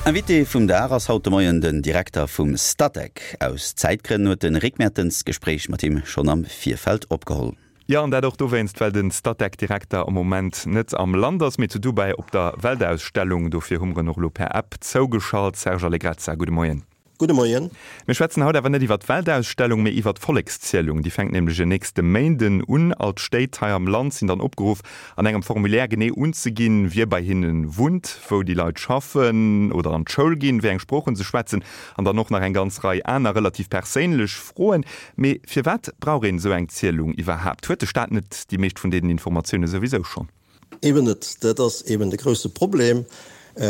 Invité vum Dag ass haut de Moien den Direkter vum Statec. Aus Zäitgrënn huet de Rick Mertens d'Gespréich mat him schonn am Virfeld opgeholl. Jo, an dat och dowéinst, well de Statec-Direkter am Moment net am Land ass, mee zu Dubai op der Weltausstellung. Dofir hu mer en och elo per App zougeschalt. Serge Allegrezza, gudde Moien. Gudde Moien. Mir schwätzen haut awer net iwwer d'Weltausstellung, mee iwwer d'Vollekszielung. Déi fänkt nämlech en nächste Méinden un. All d'Stéit hei am Land sinn dann opgeruff, an engem Formulaire genee unzeginn, wie bei hinne wunnt, wou déi Leit schaffen oder an d'Schoul ginn, wéi eng Sproochen se schwätzen an dann och nach eng ganz Rei aner relativ perséinlech Froen. Mee firwat brauch een esou eng Zielung iwwerhaapt? Huet de Staat net déi meescht vun deenen Informatioune souwisou schonn? Eben net. Dat ass eben de grousse Problem.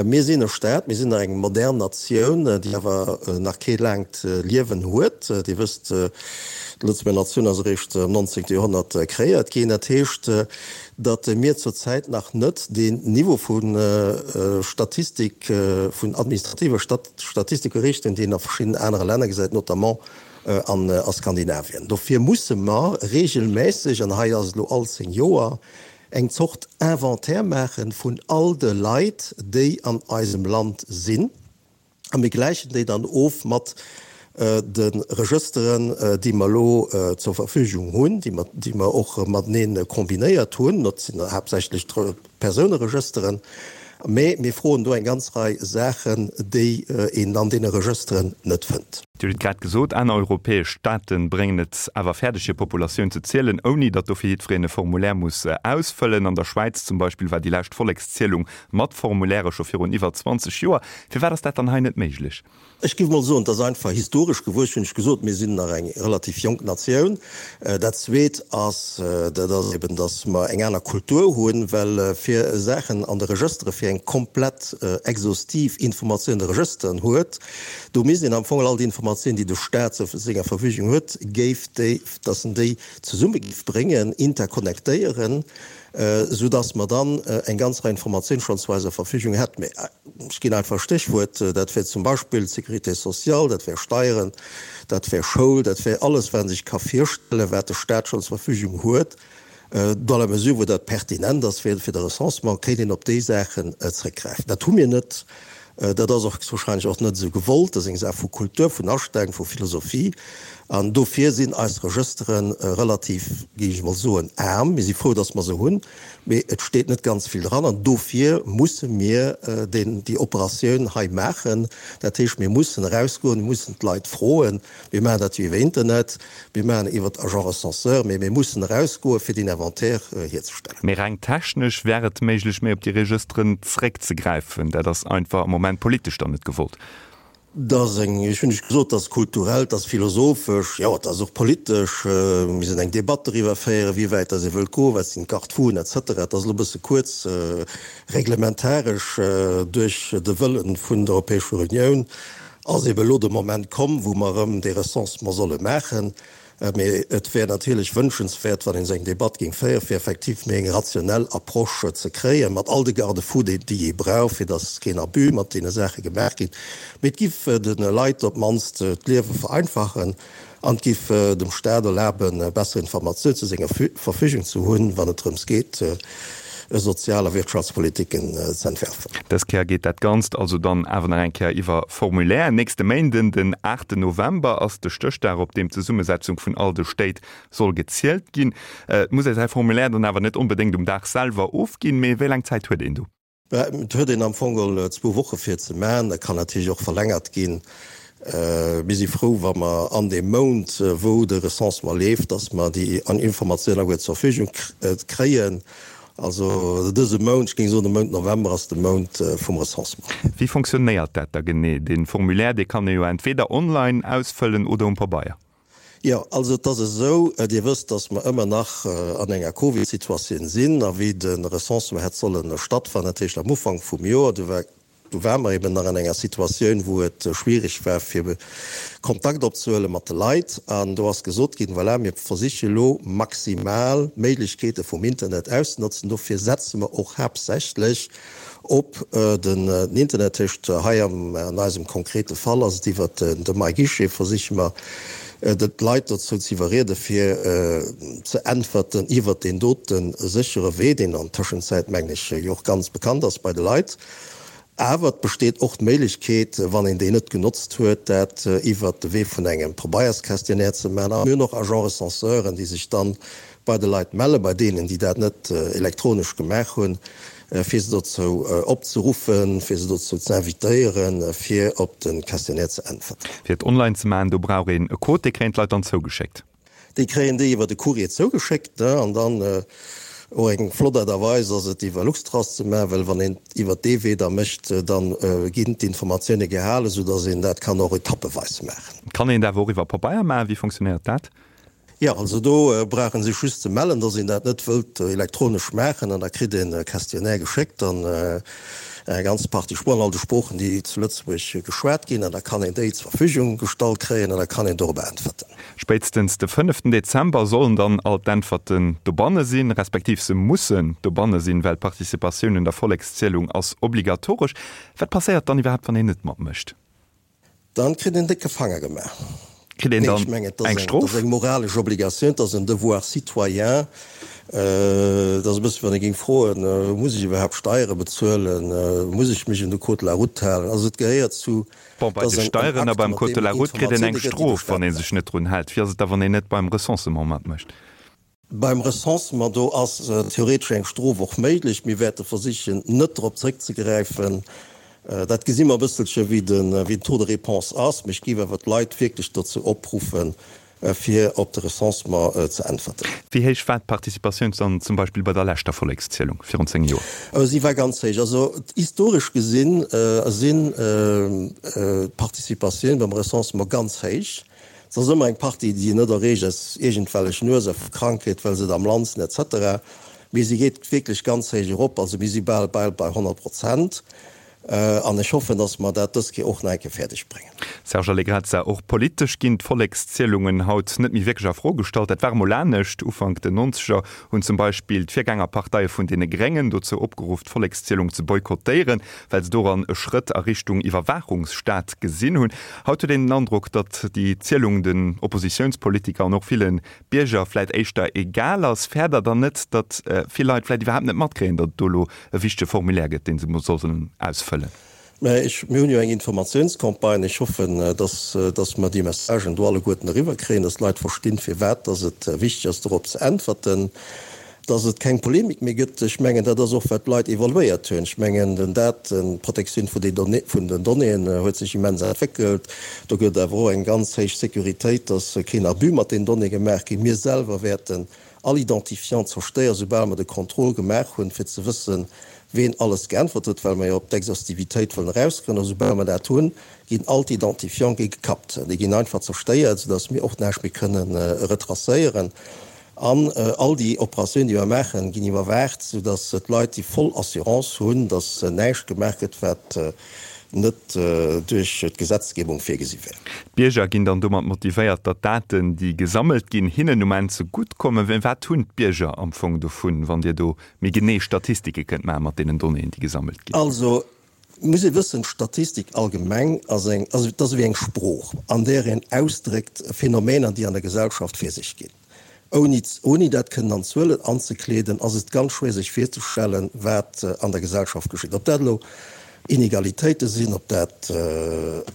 Mir sinn e Staat, mir sinn nach eng modern Natioun, déi awer nach kee laangt Liewen huet. Dir wësst, d'Lëtzebuerger Natioun ass eréischt am 19. Joerhonnert kreéiert ginn. Dat heescht, datt mir zurzäit nach net deen Niveau vu Statistik, vun administrativer Statistik erreecht hunn, deen een a verschiddenen anere Länner gesäit, notamment an a Skandinavien. Dofir musse mer regelmässeg, an hei ass et elo all 10 Joer, eng Zort Inventaire maache vun all de Leit, déi an eisem Land sinn, a mir gläichen déi dann of mat de Regësteren, déi mer elo zur Verfügung hunn, déi mer och matenee kombinéiert hunn. Dat sinn haaptsächlech Persouneregësteren, mee mir froen do eng ganz Rei Saachen, déi een an deene Regësteren net fënnt. Dir hutt et grad gesot, aner europäesch Staate bréngen et awer fäerdeg, hir Populatioun ze zielen, ouni datt dofir jiddwereen e Formulaire muss ausfëllen. An der Schwäiz zum Beispill war déi lescht Vollekszielung mat Formulairë scho virun iwwer 20 Joer. Firwat ass dat dann hei net méiglech? Ech géif mol soen, et ass einfach historesch gewuess, hunn ech gesot, mir sinn nach eng relativ jonk Natioun. Dat Zweet ass, dat ass eben, datt mer eng aner Kultur hunn, well fir Saachen an de Regëstere fir eng komplett exhaustiv Informatioun an de Regësteren huet, do misst een am Fong all déi Informatioun, déi de Staat zu senger Verfügung huet, géif déi, datt en déi zesumme géif bréngen, interconnectéieren, esou datt mer dann eng ganz Rei Informatioun schonn zu eiser Verfügung hätten. Mee ech ginn einfach e Stéchwuert, dat wär zum Beispill d'Sécurité sociale, dat wär Steieren, dat wär Schoul, dat wär alles, wat ee sech ka virstellen, wat de Stat schonn zur Verfügung huet. Dans la mesure wou dat pertinent ass fir de Recensement, kéint een op déi Saachen zréckgräifen. Dat hu mir net. Dat ass och wahrscheinlech och net esou gewollt. Dat ass eng Saach vu Kultur, vun Astellung, vu Philosophie. An dofir sinn eis Regëstere relativ, géif ech emol soen, aarm. Mir si frou, datt mer se hunn, mee et steet net ganz vill dran. An dofir musse mir deen, déi Operatioun hei maachen. Dat heescht, mir mussen erausgoen, mir mussen d'Leit froen. Mir maachen dat jo iwwer Internet, mir maachen et iwwer Agent recenseur, mee mir mussen erausgoen, fir deen Inventaire hierzestellen. Mee reng technesch wär et méiglech, méi op déi Regësteren zréckzegräifen. Dat ass einfach am Moment politesch dann net gewollt. Dat ass eng, ech hunn lech gesot, dat ass kulturell, dat ass philosophesch, jo, dat ass och politesch. Mir missten eng Debatt doriwwer féieren, wéi wäit dass ee wëllt goen, wat sinn d'Garde-fouen et cetera. Dat ass elo e bësse kuerz reglementaresch duerch de Wëllen vun der Europäescher Unioun Ass eben elo de Moment komm, wou mer erëm dee Recensement solle maachen. Mee et wär natierlech wënschenswäert, wann een esou eng Debatt géing féieren, fir effektiv méi eng rationell Approche ze kréien, mat all de Garde-fous, déi ee brauch, fir dass keen Abus mat deene Saache gemaach ginn. Mee et giff de Leit op d'mannst d'Liewe vereinfachen an et giff dem Staat erlaben, besser Informatioun zu senger Verfügung ze hunn, wann et drëms geet, sozial a Wirtschaftspolitiken ze entwerfen. Dës Kéier geet dat Ganzt also dann awer nach eng Kéier iwwer Formulaire. Nächste Méinden, den aachten November, ass de Stéchdag, op deem d'Zesummesetzung vun all de Stéit soll gezielt ginn. Et muss ee säi Formulaire dann awer net onbedéngt um Dag selwer ofginn, mee wéi laang Zäit huet een do? Et huet een am Fong geholl zwou Woche fir et ze maachen. Dat kann natierlech och verlängert ginn. Mir si frou, wa mer an deem Mount, wou de Recensement leeft, dass mer déi Informatioun alleguer zur Verfügung kréien. Also dëse Mount, ech géing soen de Mount November ass de Mount vum Recensement. Wéi fonctionnéiert dat da genee? Dee Formulaire, dee kann ee jo entweder online ausfëllen oder um Pabeier. Jo, also et ass esou, Dir wësst, datt mer ëmmer nach an enger Covid-Situatioun sinn a wéi de Recensement hätt solle stattfannen, dat heescht am Ufank vum Joer, do war do ware mer eben nach an enger Situatioun, wou et schwierig war fir Kontakt opzehuele mat de Leit. An do ass gesot ginn, voilà, mir versiche lo maximal d'Méiglechkeete vum Internet auszenotzen. Dofir setze mer och haaptsächlech Op den Internet, heescht hei an eisem konkrete Fall ass et iwwert de MyGuichet, versiche mer d'Leit dozou ze iwwerriede fir ze äntwerten iwwert deen dote séchere Wee, deen an Tëschenzäit, mengen ech, jo och ganz bekannt ass bei de Leit. Awer et besteet och d'Méiglechkeet, wann een déi net genotzt huet, dat iwwert de Wee vun engem Pabeiersquestionnaire ze maachen. A mir hunn och Agent-recenseuren, déi sech dann bei de Leit mellen, bei deenen, déi dat net elektronesch gemaach hunn, fir se dozou opzeruffen, fir se dozou ze invitéieren, fir op de Questionnaire ze äntwerten. Fir et online ze maachen, do brauch een e Code, dee kréien d'Leit dann zougeschéckt. Déi kréien déi iwwer de Courrier zougeschéckt, ne, an dann och eng flott Aart a Weis ass et iwwer Luxtrust ze maachen, well wann een et iwwer dee Wee da mécht, da ginn d'Informatioune gehalen, soudass een dat kann och etappeweis maachen. Kann een et awer och iwwer Pabeier maachen? Wéi fonctionnéiert dat? Jo, also do brauch ee sech just ze mellen, dass een dat net wëllt elektronesch maachen, an da kritt een e Questionnaire geschéckt an eng ganz Partie Sproochen, all de Sproochen, déi zu Lëtzebuerg geschwat ginn, an da kann een déi zur Verfügung gestallt kréien an da kann een dorobber äntwerten. Spéitstens de fënneften Dezember sollen dann all d'Äntwerten dobanne sinn, respektiv se mussen dobanne sinn, well d'Participatioun un der Vollekszielung ass obligatoresch. Wat passéiert dann iwwerhaapt, wann een net matmécht? Dann kritt een décke Fanger gemaach. Kritt een dann eng Strof? Dat ass eng moralesch Obligatioun, dat ass en Devoir citoyen. Dat ass e bësse wéi wann ee géing froen, Muss ech iwwerhaapt Steiere bezuelen? Muss ech mech un de Code de la route halen? Also et gehéiert zu Bon, bei de Steieren a beim Code de la route kritt een eng Strof, wann ee sech net drun hält. Wéi ass et da, wann een net beim Recensement matmécht? Beim Recensement, do ass theoretesch eng Strof och méiglech. Mir wäerte versichen, net drop zréckzegräifen. Dat gesi mer e bësselche wéi den Taux de réponse ass. Mee ech géif awer d'Leit wierklech dozou opruffen, fir op de Recensement ze äntwerten. Wéi héich war d'Participatioun dann zum Beispill bei der leschter Vollekszielung virun 10 Joer? Si war ganz héich. Also historesch gesinn sinn d'Participatioun beim Recensement ganz héich. Et ass ëmmer eng Partie, déi net erreecht aus iergendwellechen Ursache vu Krankheet, well se et am Land sinn et cetera. Mee si geet wierklech ganz héich erop. Also mir si bal bal bei 100 Prozent. An ech hoffen, dass mer dat dës Kéier och nach eng Kéier fäerdeg bréngen. Serge Allegrezza, Och politesch ginn d'Vollekszielungen haut net méi wierklech a Fro gestallt. Dat war emol anescht. Ufank den Nonzeger hunn zum Beispill d'Virgängerparteie vun deene Gréngen dozou opgeruff, d'Vollekszielung ze boykottéieren, well se doran e Schrëtt a Richtung Iwwerwaachungsstaat gesinn hunn. Haut huet een den Androck, datt déi Zielung den Oppositiounspolitiker an och ville Bierger vläit éischter egal ass. Fäert Der dann net, datt vill Leit vläit iwwerhaapt net matkréien, datt et do elo e wichtege Formulaire gëtt, dee se sollen ausfëllen? Mä ech, mir hunn jo eng Informatiounscampagne. Ech hoffen, datt, datt mer déi Messagen do alleguerten eriwwerkréien, datt d'Leit verstinn, firwat datt et wichteg ass, dorop ze äntwerten, datt et keng Polemik méi gëtt. Ech mengen, dat ass och, wat d'Leit evaluéiert hunn. Ech mengen, den Dat, d'Protektioun vun den, vun den Donnéeën huet sech immens entwéckelt. Do gëtt et awer och eng ganz héich Sécuritéit, datt keen Abus mat den Donnéeë gemaach ginn. Mir selwer wäerten all Identifiant zerstéieren, soubal mer de Contrôle gemaach hunn, fir ze wëssen, ween alles geäntwert huet, well mer jo op d'Exhaustivitéit wëllen erauskommen. A soubal mer dat hunn, ginn all d'Identifiante gi gekappt. Déi ginn einfach zerstéiert, soudass mir och näischt méi kënnen retracéieren. An all déi Operatiounen, déi mer maachen, ginn iwwerwaacht, soudass d'Leit déi voll Assurance hunn, dass näischt gemaach gëtt, wat net duerch d'Gesetzgebung virgesi wär. D'Bierger ginn dann domat motivéiert, datt d'Daten, déi gesammelt ginn, hinnen um Enn ze gutt kommen. Mä wat hunn d'Bierger am Fong dovun, wann Dir do méi genee Statistike kënnt maachen mat deenen Donnéeën, déi gesammelt ginn? Also, et muss ee wëssen, d'Statistik allgemeng ass eng, also et ass ewéi eng Sprooch, an där een ausdréckt Phänomener, déi an der Gesellschaft vir sech ginn. Ouni, ouni dat kënnen an Zuelen anzekleeden, ass et ganz schwéier sech virzestellen, wat an der Gesellschaft geschitt. Ob dat elo Inegalitéite sinn, ob dat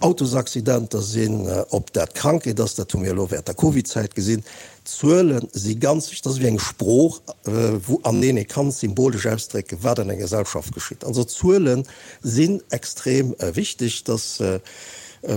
Autosaccidenter sinn, ob dat Krankheet ass, dat hu mir elo während der Covidzäit gesinn. D'Zuele si ganz wichteg, dat ass ewéi eng Sprooch, wou, an deenen ee kann symbolesch ausdrécken, wat an enger Gesellschaft geschitt. Also Zuele sinn extrem wichteg. Dass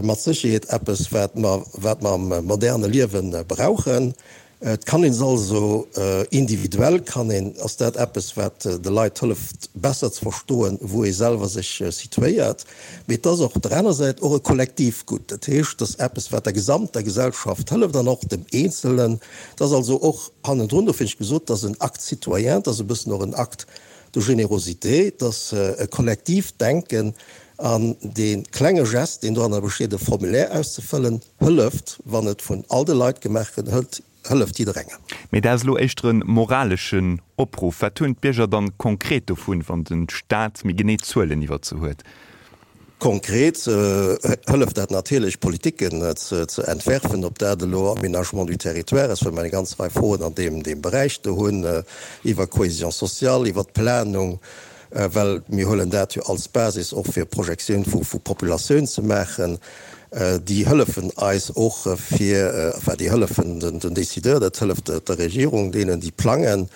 Mat Sécherheet eppes, wat mer, wat mer am moderne Liewe brauchen. Et kann een se also individuell, kann een, ass dat eppes, wat de Leit hëlleft, besser ze verstoen, wou ee selwer sech situéiert. Mee et ass och op der aner Säit och e Kollektivgutt. Dat heescht, et ass eppes, wat der gesamter Gesellschaft hëlleft an och dem Eenzelnen. Et ass also och hannendrun, dofir hunn ech gesot, et ass en Acte citoyen, et ass e bëssen och en Acte de générosité, et ass e kollektiivt Denken, An dee klenge Gest, deen doranner besteet, e Formulaire auszefëllen, hëlleft, wann et vun all de Leit gemaach gëtt, hëlleft jidderengem. Mee dat ass elo éischter e moraleschen Opruff. Wat hunn d'Bierger dann konkret dovun, wann de Staat méi genee Zuelen iwwert se huet? Konkret hëlleft dat natierlech, Politiken ze entwerfen, ob dat elo Aménagement du territoire ass, well mer eng ganz Rei Froen an deem Beräich do hunn, iwwer Cohésion sociale, iwwer d'Planung. well mir huelen dat jo als Basis och fir Projektioun vu Populatioun ze maachen. Déi hëllefen eis och fir, enfin déi hëllefen den Décideur, dat hëlleft der Regierung, deenen déi plangen,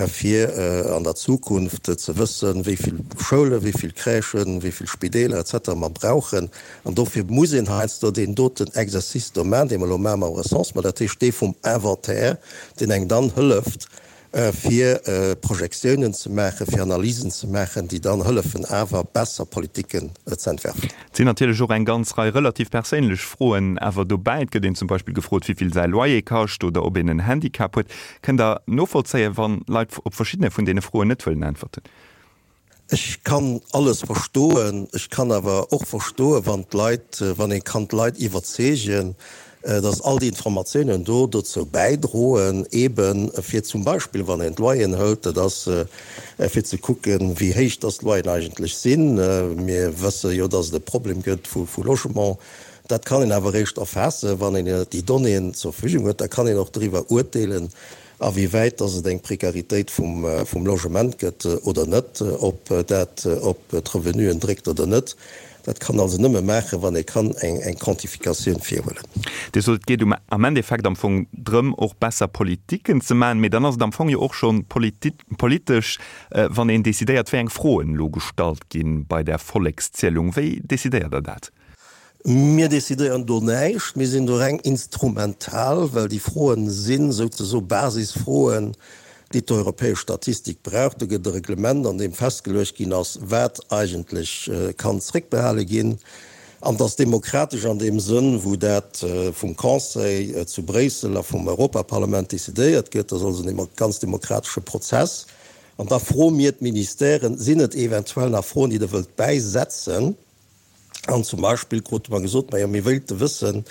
fir an der Zukunft ze wëssen, wéi vill Schoulen, wéi vill Crèchen, wéi vill Spideeler et cetera mer brauchen. An dofir muss een heiansdo deen doten Exercice do maachen, dee mer elo maache mam Recensement, dat heescht dee vum Inventaire, deen engem dann hëlleft, fir Projektiounen ze maachen, fir Analysen ze maachen, déi dann hëllefen awer besser Politiken ze entwerfen. Et sinn natierlech och eng ganz Rei relativ perséinlech Froen awer dobäi. Et gëtt een zum Beispill gefrot, wéi vill säi Loyer kascht oder ob een en Handicap huet. Kënnt Der novollzéien, wann Leit op verschiddene vun deene Froen net wëllen äntwerten? Ech kann alles verstoen. Ech kann awer och verstoen, wann d'Leit, wann ee kann d'Leit iwwerzeegen, dass all déi Informatiounen do dozou bäidroen, eebe fir zum Beispill, wann een d'Loyeren hëlt, dat ass fir ze kucken, wéi héich dass d'Loyeren eigentlech sinn. Mir wësse jo, dass et e Problem gëtt vu Logement. Dat kann een awer eréischt erfaassen, wann een déi Donnéeën zur Verfügung huet. Da kann een och driwwer urteelen, A wéi wäit dass et eng Prekaritéit vum Logement gëtt oder net, ob dat op d'Revenuen dréckt oder net, dat kann also nëmme maachen, wann ee kann eng Quantifikatioun virhuelen. Dir sot, et geet um am Endeffekt am Fong drëm, och besser Politiken ze maachen. Mee dann ass et am Fong jo och scho politesch, wann een decidéiert, wéi eng Froen elo gestallt gi bei där Vollekszielung. Wéi decidéiert Der dat? Mir decidéieren do näischt, mir sinn do reng instrumental, well déi Froen si souzesoe Basisfroen, déi d'europäesch Statistik brauch. Do gëtt e Reglement, an deem festgeluecht ginn ass, wat eigentlech kann zréckbehale ginn. An et ass demokratesch an deem Sënn, wou dat vum Conseil zu Bréissel a vum Europaparlament decidéiert gëtt. Dat ass also e ganz demokratesche Prozess. An da froe mir d'Ministèren, Sinn et eventuell nach Froen, déi Der wëllt bäisetzen? An zum Beispill krute mer gesot, majo mir wéilte wëssen,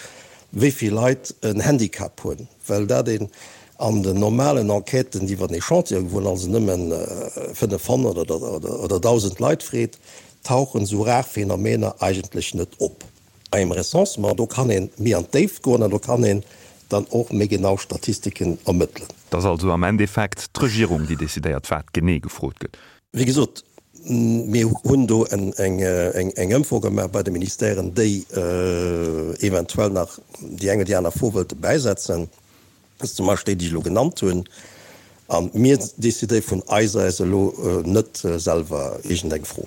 wéi vill Leit en Handicap hunn, well dat een an den normalen Enquêten, déi iwwer den Echantillon gewunn, also nëmmen 500 oder 1.000 Leit freet, tauchen esou rar Phänomener eigentlech net op. Bei engem Recensement, do kann ee méi an d'Déift goen an do kann een dann och méi genau Statistiken ermëttelen. Et ass also am Endeffekt d'Regierung, déi decidéiert, wat genee gefrot gëtt. Wéi gesot, mir hunn do eng Ëmfro gemaach bei de Ministèren, déi eventuell nach déi eng oder déi aner Fro wëlte bäisetzen, zum Beispill déi, déi ech elo genannt hunn. A mir decidéiere vun eis aus elo net selwer iergendeng Fro.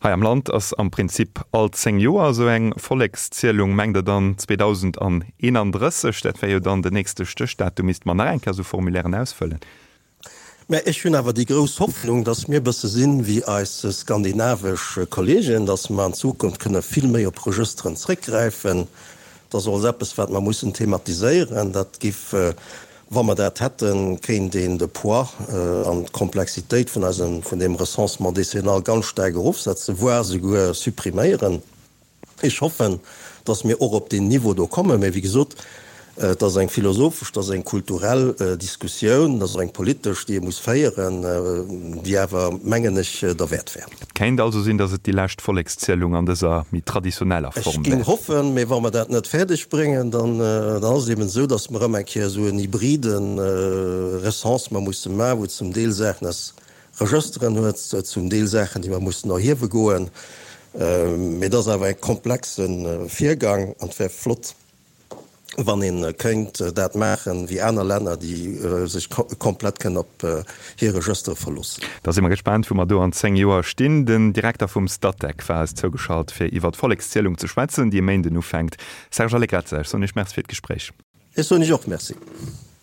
Hei am Land ass am Prinzip all 10 Joer esou eng Vollekszielung. Mengt Der dann 2031, dat wär jo dann den nächste Stéchdatum, misste mer nach eng Kéier esou Formulairen ausfëllen? Mä ech hunn awer déi grouss Hoffnung, dass mir e bësse sinn wéi eis skandinavesch Kollegen, dass mer an Zukunft kënne vill méi op Regësteren zréckgräifen. Dat ass och eppes, wat mer mussen thematiséieren. Dat giff, wa mer dat hätten, kéint een de Poids an d'Komplexitéit vun eisem, vun deem Recensement décennal ganz staark erofsetzen, voire souguer suppriméieren. Ech hoffen, dass mir och op deen Niveau do kommen. Mä wéi gesot, et ass eng philosophesch, et ass eng kulturell Diskussioun, et ass och eng politesch, déi ee muss féieren, déi awer, mengen ech, derwäert wär. Et kéint also sinn, dass et déi lescht Vollekszielung an dëser méi traditioneller Form wär. Ech géing hoffen, mä wa mer dat net fäerdeg bréngen, dann ass et eben esou, dass mer erëm eng Kéier esou en hybride Recensement musse maachen, wou zum Deel Saachen aus Regësteren huet, zum Deel Saachen, déi mer mussen erhiewe goen. Mee et ass awer e komplexe Virgang an et wär flott, wann ee kéint dat maachen, wéi aner Länner, déi sech komplett kënnen op hir Regëstere verloossen. Da si mer gespaant, wou mer do an 10 Joer stinn. Den Direkter vum Statec war eis zougeschalt, fir iwwer d'Vollekszielung ze schwätzen, déi e Méinden ufänkt. Serge Allegrezza, ech soen Iech Merci fir d'Gespréich. Ech soen Iech och Merci.